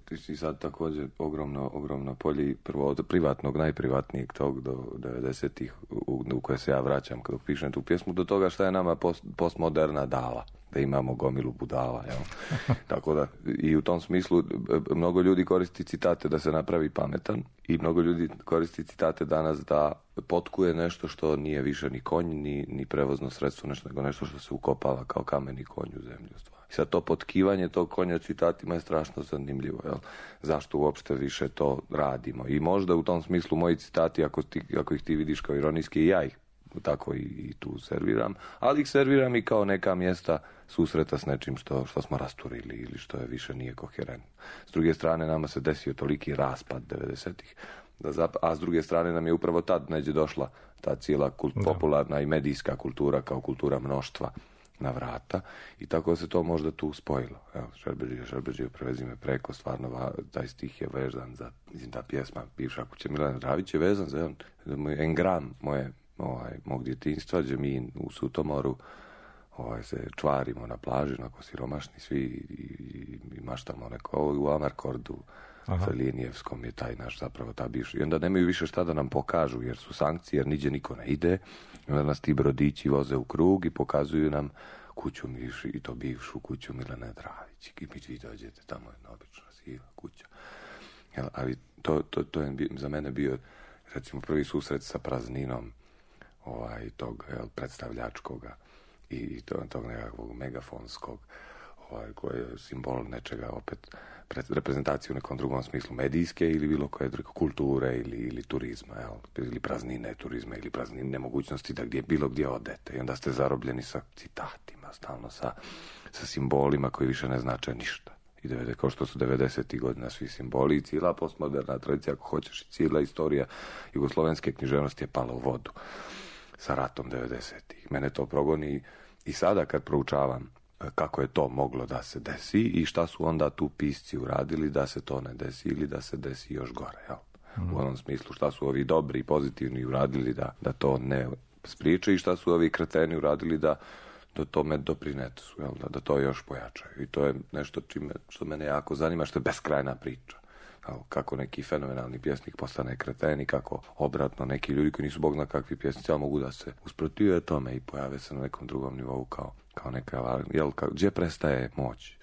Ti si sad također ogromno polje, prvo od privatnog, najprivatnijeg tog do 90-ih u koje se ja vraćam kada pišem tu pjesmu, do toga šta je nama postmoderna dala, da imamo gomilu budala, jel? Tako da, i u tom smislu mnogo ljudi koristi citate da se napravi pametan i mnogo ljudi koristi citate danas da potkuje nešto što nije više ni konj, ni prevozno sredstvo, nego nešto što se ukopava kao kameni konj u zemlju. I sad to potkivanje tog konja citatima je strašno zanimljivo, jel? Zašto uopšte više to radimo? I možda u tom smislu moji citati, ako ih ti vidiš kao ironijski, ja ih tako i tu serviram, ali ih serviram i kao neka mjesta susreta s nečim što smo rasturili ili što je više nije koherentno. S druge strane, nama se desio toliki raspad 90-ih, a s druge strane nam je upravo tad neđe došla ta cijela popularna i medijska kultura kao kultura mnoštva na vrata i tako se to možda tu spojilo. Evo, Šerbedžio, prevezi me preko, stvarno taj stih je vezan za, mislim, ta pjesma Bivša kuća Milene Dravić je vezan za engram mog djetinjstva, gdje mi u Sutomoru se čvarimo na plaži, onako siromašni svi i maštamo neko u Amarkordu sa Linijevskom je taj naš zapravo ta bivša. I onda nemaju više šta da nam pokažu jer su sankcije, jer niđe niko ne ide. I onda nas ti brodići voze u krug i pokazuju nam kuću i to bivšu kuću Milene Dravić. I vi dođete, tamo je jedna obična siva kuća. Ali to je za mene bio recimo prvi susret sa prazninom tog predstavljačkoga i tog nekakvog megafonskog koji je simbol nečega, opet reprezentacije u nekom drugom smislu medijske ili bilo koje druge kulture ili turizma, ili praznine turizma ili praznine nemogućnosti da bilo gdje odete i onda ste zarobljeni sa citatima, stalno sa simbolima koji više ne znače ništa. I kao što su 90. godina svi simboli i cijela postmoderna tradicija, ako hoćeš, i cijela istorija jugoslovenske književnosti je pala u vodu sa ratom 90. Mene to progoni i sada kad proučavam kako je to moglo da se desi i šta su onda tu pisci uradili da se to ne desi ili da se desi još gore. Jel? U onom smislu šta su ovi dobri i pozitivni uradili da to ne spriječe i šta su ovi kreteni uradili da tome doprinesu, da to još pojačaju. I to je nešto što mene jako zanima, što je beskrajna priča. Kako neki fenomenalni pjesnik postane kreten i kako obratno neki ljudi koji nisu bog zna kakvi pjesnici, ali mogu da se usprotive tome i pojave se na nekom drugom nivou kao neka, gdje prestaje moć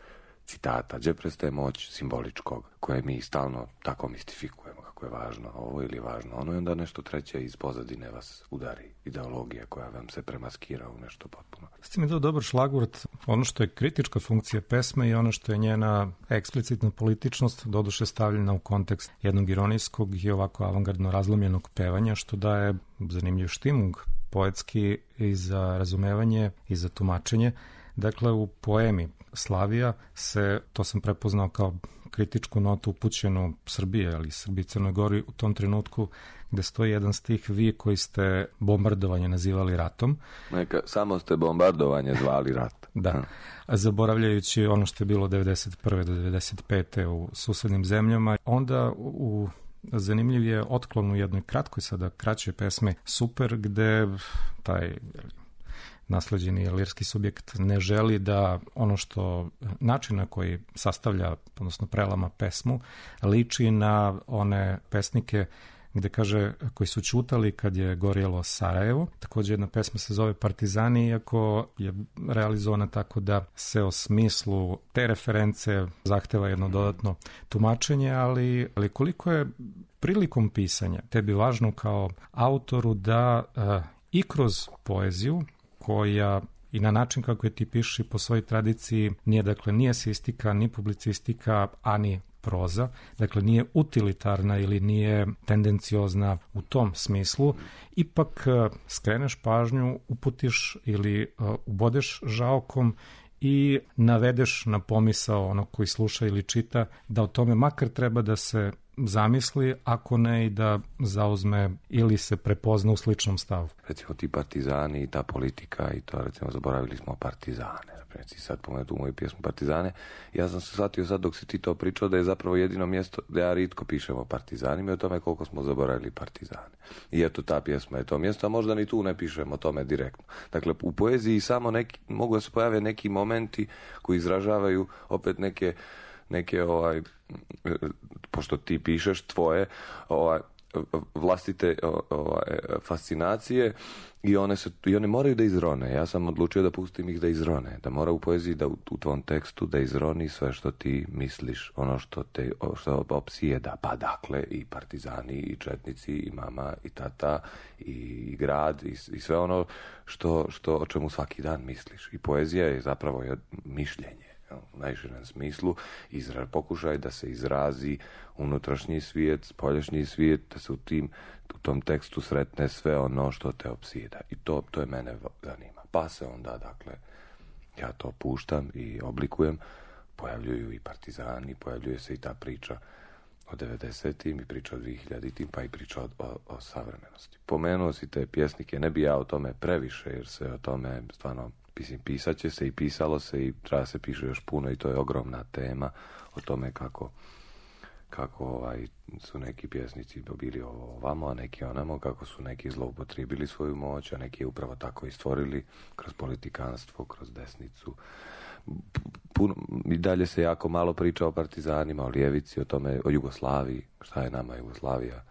citata, gdje prestaje moć simboličkog, koje mi stalno tako mistifikujemo, kako je važno ovo ili važno ono, i onda nešto treće iz pozadine vas udari, ideologija koja vam se premaskira u nešto potpuno. Ste mi dao dobar šlagvort, ono što je kritička funkcija pesme i ono što je njena eksplicitna političnost, doduše stavljena u kontekst jednog ironijskog i ovako avangardno razlomljenog pevanja, što daje zanimljiv štimung poetski i za razumevanje i za tumačenje. Dakle, u poemi Slavija se, to sam prepoznao kao kritičku notu upućenu Srbije, ali Srbiji i Crnoj Gori u tom trenutku, gde stoji jedan stih: vi koji ste bombardovanje nazivali ratom. Samo ste bombardovanje zvali rat. Da, zaboravljajući ono što je bilo 91. do 95. u susednim zemljama. Onda zanimljiv je otklon u jednoj kratkoj, sada kraćoj pesmi Super, gde taj nasleđeni lirski subjekt ne želi da ono što način na koji sastavlja, odnosno prelama pesmu, liči na one pesnike gde kaže koji su ćutali kad je gorjelo Sarajevo. Također jedna pesma se zove Partizani, iako je realizovana tako da se o smislu te reference zahteva jedno dodatno tumačenje, ali koliko je prilikom pisanja tebi važno kao autoru da i kroz poeziju, koja i na način kako je ti piši po svojoj tradiciji nije esistika, ni publicistika, ani proza, dakle nije utilitarna ili nije tendenciozna u tom smislu, ipak skreneš pažnju, uputiš ili ubodeš žaokom i navedeš na pomisao onog koji sluša ili čita da o tome makar treba da se zamisli, ako ne i da zauzme ili se prepozna u sličnom stavu. Recimo ti partizani i ta politika i to, recimo, zaboravili smo partizane. Recimo sad pomenuti u moju pjesmu Partizane. Ja sam se shvatio sad dok si ti to pričao da je zapravo jedino mjesto da ja ritko pišem o partizanima i o tome koliko smo zaboravili partizane. I eto, ta pjesma je to mjesto, a možda ni tu ne pišemo o tome direktno. Dakle, u poeziji samo mogu da se pojave neki momenti koji izražavaju opet neke pošto ti pišeš tvoje vlastite fascinacije i one moraju da izrone. Ja sam odlučio da pustim ih da izrone, da mora u poeziji da u tvom tekstu da izroni sve što ti misliš, ono što opsijeda, pa dakle i partizani i četnici i mama i tata i grad i sve ono o čemu svaki dan misliš. I poezija je zapravo mišljenje u najširem smislu, pokušaj da se izrazi unutrašnji svijet, spoljašnji svijet, da se u tom tekstu sretne sve ono što te opsjeda. I to je mene zanima. Pa se onda, dakle, ja to puštam i oblikujem, pojavljuju i partizani, pojavljuje se i ta priča o 90-im i priča o 2000-im, pa i priča o savremenosti. Pomenuo si te pjesnike, ne bi ja o tome previše, jer se o tome stvarno pisat će se i pisalo se i treba se piše još puno i to je ogromna tema o tome kako su neki pjesnici bili ovamo, a neki onamo, kako su neki zloupotrijebili svoju moć, a neki je upravo tako i stvorili kroz politikanstvo, kroz desnicu. I dalje se jako malo priča o partizanima, o ljevici, o tome, o Jugoslaviji. Šta je nama Jugoslavija?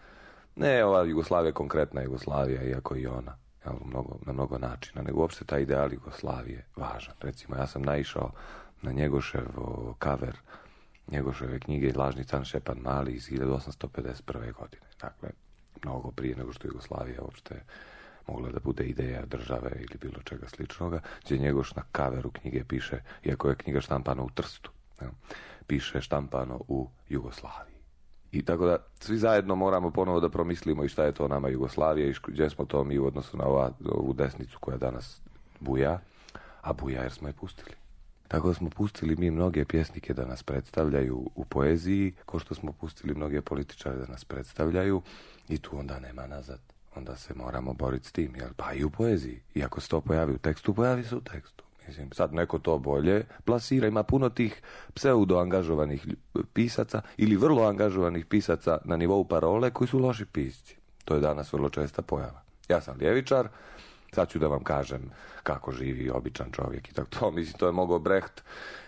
Ne ova Jugoslavija, konkretna Jugoslavija, iako i ona na mnogo načina, nego uopšte taj ideal Jugoslavije važan. Recimo, ja sam naišao na Njegošev cover Njegoševe knjige Lažni can Šepan Mali iz 1851. godine. Dakle, mnogo prije nego što Jugoslavija uopšte mogla da bude ideja države ili bilo čega sličnoga, gdje Njegoš na kaveru knjige piše, iako je knjiga štampana u Trstu, piše štampano u Jugoslaviji. I tako da svi zajedno moramo ponovo da promislimo i šta je to nama Jugoslavija i gdje smo to mi u odnosu na ovu desnicu koja danas buja, a buja jer smo je pustili. Tako da smo pustili mi mnoge pjesnike da nas predstavljaju u poeziji, kao što smo pustili mnoge političare da nas predstavljaju i tu onda nema nazad. Onda se moramo boriti s tim, pa i u poeziji. I ako se to pojavi u tekstu, pojavi se u tekstu. Mislim, sad neko to bolje plasira, ima puno tih pseudo-angažovanih pisaca ili vrlo angažovanih pisaca na nivou parole koji su loši pisci. To je danas vrlo česta pojava. Ja sam ljevičar, sad ću da vam kažem kako živi običan čovjek i tako to. Mislim, to je mogao Brecht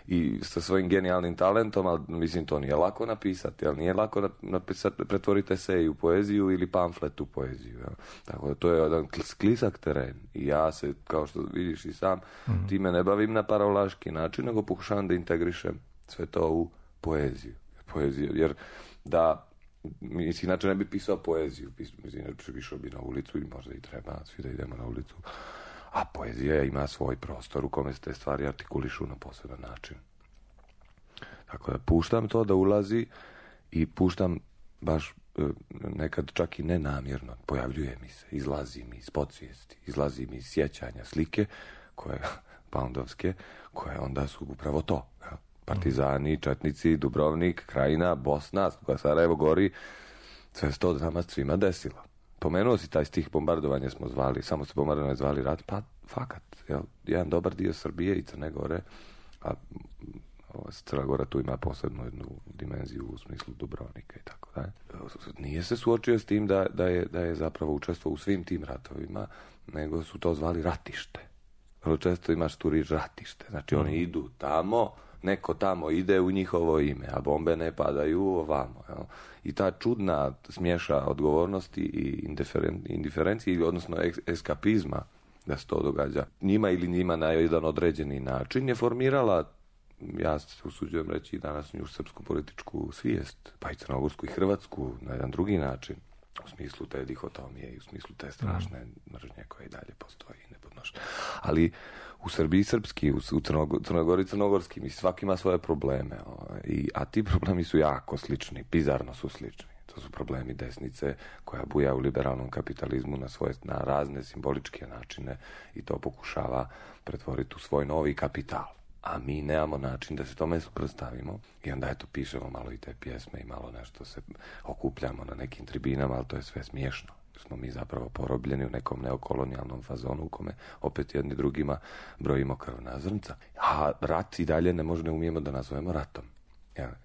i sa svojim genijalnim talentom, ali mislim, to nije lako napisati, ali nije lako napisati, pretvoriti esej u poeziju ili pamflet u poeziju. Jel? Tako da to je jedan sklisak teren i ja se, kao što vidiš i sam, time ne bavim na parolaški način, nego pokušavam da integrišem sve to u poeziju. Jer da mislim, inače ne bi pisao poeziju, inače išao bi na ulicu i možda i treba svi da idemo na ulicu, a poezija ima svoj prostor u kome se te stvari artikulišu na poseban način. Tako da puštam to da ulazi i puštam baš nekad čak i nenamjerno, pojavljuje mi se, izlazi mi iz podsvijesti, izlazi mi iz sjećanja slike koje, poundovske, koje onda su upravo to, partizani, četnici, Dubrovnik, Krajina, Bosna, Sarajevo gori, sve se to nama svima desilo. Pomenuo si taj stih bombardovanje smo zvali, samo se bombardovanje zvali rat, pa fakat, jedan dobar dio Srbije i Crne Gore, a Crna Gora tu ima posebnu jednu dimenziju u smislu Dubrovnika i tako dalje. Nije se suočio s tim da je zapravo učestvovao u svim tim ratovima, nego su to zvali ratište. Vrlo često imaš tu riječ ratište, znači oni idu tamo, neko tamo ide u njihovo ime, a bombe ne padaju ovamo. Jel? I ta čudna smješa odgovornosti i indiferencije, odnosno eskapizma da se to događa njima ili njima na jedan određeni način je formirala, ja se usuđujem reći i današnju srpsku političku svijest, pa i crnogorsku i hrvatsku na jedan drugi način. U smislu te dihotomije i u smislu te strašne mržnje koje i dalje postoji i nepodnošne. Ali u Srbiji srpski, u Crnoj Gori crnogorski, mislim, svaki ima svoje probleme. A ti problemi su jako slični, bizarno su slični. To su problemi desnice koja buja u liberalnom kapitalizmu na razne simboličke načine i to pokušava pretvoriti u svoj novi kapital. A mi nemamo način da se tome suprotstavimo i onda eto pišemo malo i te pjesme i malo nešto se okupljamo na nekim tribinama, ali to je sve smiješno. Smo mi zapravo porobljeni u nekom neokolonijalnom fazonu u kome opet jedni drugima brojimo krvna zrnca. A rat i dalje ne umijemo da nazovemo ratom.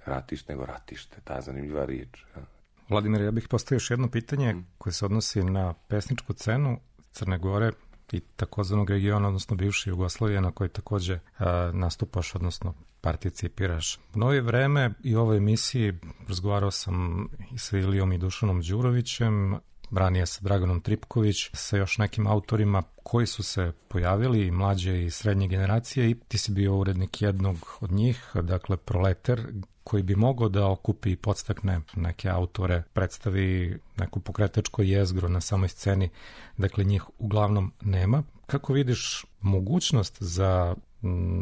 Ratiš nego ratište, ta zanimljiva riječ. Vladimir, ja bih postavio još jedno pitanje koje se odnosi na pesničku scenu Crne Gore i takozvanog regiona, odnosno bivše Jugoslavije, na kojoj također nastupaš, odnosno participiraš. U novije vreme i u ovoj emisiji razgovarao sam i sa Ilijom i Dušanom Đurovićem, ranije sa Draganom Tripković, sa još nekim autorima koji su se pojavili, mlađe i srednje generacije, i ti si bio urednik jednog od njih, dakle Proleter, koji bi mogao da okupi i podstakne neke autore, predstavi neku pokretačko jezgro na samoj sceni, dakle njih uglavnom nema. Kako vidiš mogućnost za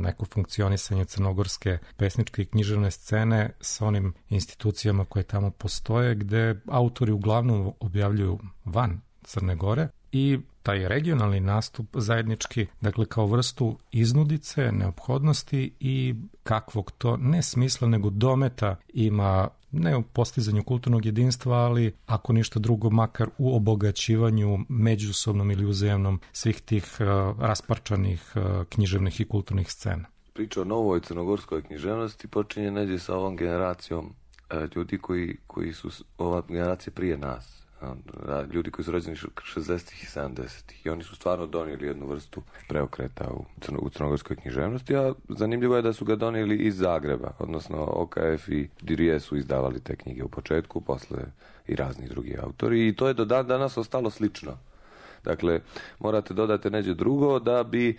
neko funkcionisanje crnogorske pesničke i književne scene sa onim institucijama koje tamo postoje, gde autori uglavnom objavljuju van Crne Gore, i taj regionalni nastup zajednički, dakle kao vrstu iznudice, neophodnosti i kakvog to ne smisla nego dometa ima, ne u postizanju kulturnog jedinstva, ali ako ništa drugo, makar u obogaćivanju međusobnom ili uzajamnom svih tih rasparčanih književnih i kulturnih scena. Priča o novoj crnogorskoj književnosti počinje neđe sa ovom generacijom ljudi koji su ova generacija prije nas. Ljudi koji su rođeni 60-ih i 70-ih i oni su stvarno donijeli jednu vrstu preokreta u crnogorskoj književnosti, a zanimljivo je da su ga donijeli iz Zagreba, odnosno OKF i Dirije su izdavali te knjige u početku, posle i razni drugi autori, i to je do dan danas ostalo slično. Dakle, morate dodati neđe drugo da bi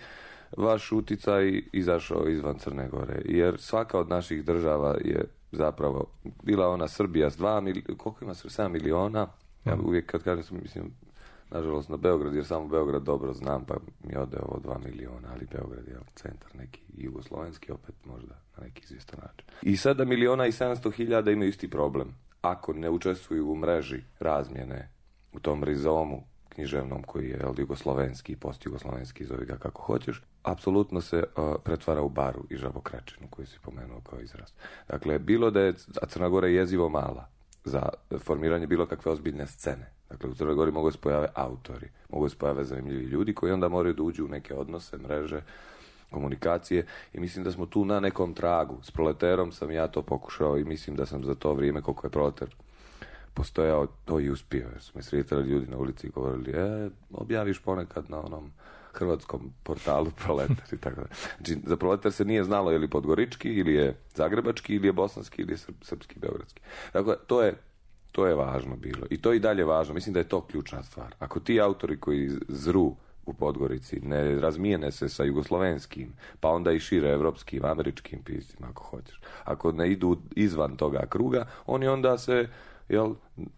vaš uticaj izašao izvan Crne Gore, jer svaka od naših država je zapravo, bila ona Srbija s 7 miliona, ja uvijek kad kažem, mislim, nažalost, na Beograd, jer samo Beograd dobro znam, pa mi ode ovo 2 miliona, ali Beograd je centar neki jugoslovenski, opet možda na neki izvjestan način. I 7.700.000 imaju isti problem. Ako ne učestvuju u mreži razmjene, u tom rizomu književnom koji je jugoslovenski i postjugoslovenski, zove ga kako hoćeš, apsolutno se pretvara u baru i žabokrečinu koju si pomenuo kao izraz. Dakle, bilo da je, a Crna Gora je jezivo mala za formiranje bilo kakve ozbiljne scene. Dakle, u Crnoj Gori mogu se pojave autori, mogu se pojave zanimljivi ljudi koji onda moraju da uđu u neke odnose, mreže, komunikacije i mislim da smo tu na nekom tragu. S Proleterom sam ja to pokušao i mislim da sam za to vrijeme koliko je Proleter postojao, to i uspio. Jer su me sretali ljudi na ulici i govorili, objaviš ponekad na onom hrvatskom portalu Proletar i tako da. Znači, za Proletar se nije znalo je li podgorički, ili je zagrebački, ili je bosanski, ili je srpski, beogradski. Dakle, to je važno bilo. I to je i dalje važno. Mislim da je to ključna stvar. Ako ti autori koji zru u Podgorici ne razmijene se sa jugoslovenskim, pa onda i šire evropskim, američkim piscima, ako hoćeš. Ako ne idu izvan toga kruga, oni onda se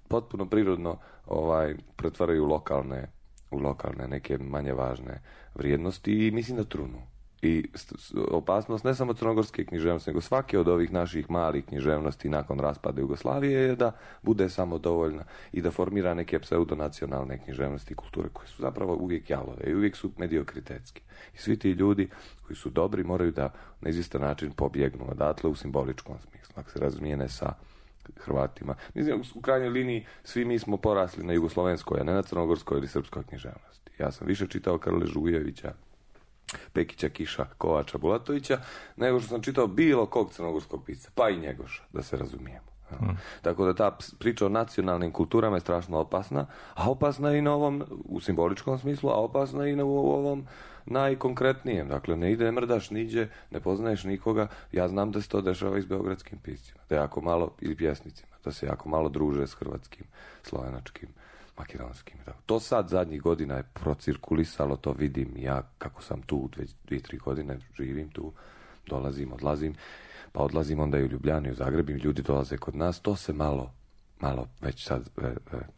potpuno prirodno pretvaraju u lokalne neke manje važne vrijednosti i mislim da trunu. I opasnost ne samo crnogorske književnosti, nego svake od ovih naših malih književnosti nakon raspada Jugoslavije je da bude samo dovoljna i da formira neke pseudonacionalne književnosti i kulture koje su zapravo uvijek jalove i uvijek su mediokritetski. I svi ti ljudi koji su dobri moraju da na izvjestan način pobjegnu odatle u simboličkom smislu, ako se razmijene sa Hrvatima. Mislim, u krajnjoj liniji svi mi smo porasli na jugoslovenskoj, a ne na crnogorskoj ili srpskoj književnosti. Ja sam više čitao Karle Žugujevića, Pekića, Kiša, Kovača, Bulatovića, nego što sam čitao bilo kog crnogorskog pisca, pa i Njegoša, da se razumijemo. Tako da ta priča o nacionalnim kulturama je strašno opasna, a opasna i na ovom, u simboličkom smislu, a opasna i u ovom najkonkretnijem. Dakle, ne ide, mrdaš niđe, ne poznaješ nikoga. Ja znam da se to dešava i s beogradskim piscima, da jako malo, ili pjesnicima, da se jako malo druže s hrvatskim, slovenačkim, makedonskim. To sad zadnjih godina je procirkulisalo, to vidim ja kako sam tu, 2-3 godine živim tu, dolazim, odlazim, pa odlazim onda i u Ljubljanu i u Zagreb i ljudi dolaze kod nas, to se malo već sad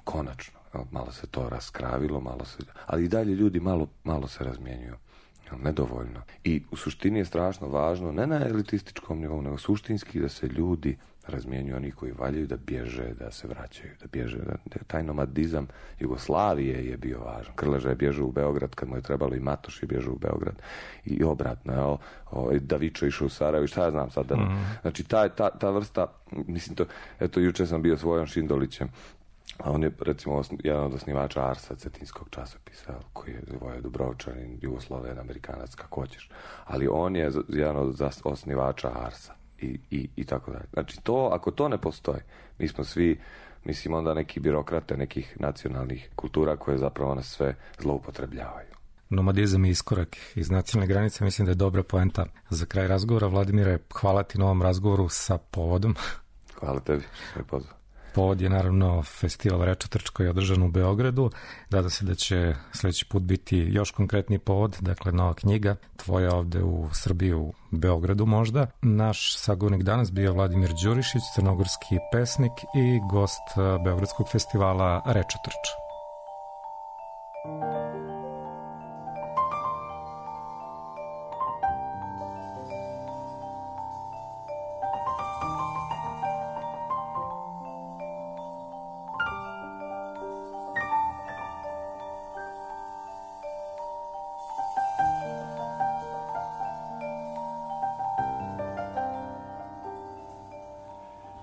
konačno, malo se to raskravilo, ali i dalje ljudi malo se razmjenjuju. Nedovoljno. I u suštini je strašno važno, ne na elitističkom nivou, nego suštinski da se ljudi razmjenjuju, oni koji valjaju da bježe, da se vraćaju, da bježe. Taj nomadizam Jugoslavije je bio važan. Krleža je bježao u Beograd kad mu je trebalo i Matoš je bježao u Beograd i obratno. Davičo išao u Sarajevo i šta ja znam sad. Znači ta vrsta, mislim to, eto juče sam bio s Vojom Šindolićem, a on je, recimo, jedan od osnivača Arsa, cetinskog časopisa, koji je Voja Dubrovčanin, Jugosloven, Amerikanac, kako hoćeš. Ali on je jedan od osnivača Arsa i tako dalje. Znači, ako to ne postoji, mi smo svi, mislim, onda neki birokrate nekih nacionalnih kultura koje zapravo nas sve zloupotrebljavaju. Nomadizam i iskorak iz nacionalne granice, mislim da je dobra poenta za kraj razgovora. Vladimire, hvala ti na ovom razgovoru sa povodom. Hvala tebi što me pozvao. Povod je naravno festival Rečetrč koji je održan u Beogradu. Nadam se da će sljedeći put biti još konkretniji povod, dakle nova knjiga tvoja ovde u Srbiji, u Beogradu možda. Naš sagovornik danas bio Vladimir Đurišić, crnogorski pesnik i gost Beogradskog festivala Rečetrč.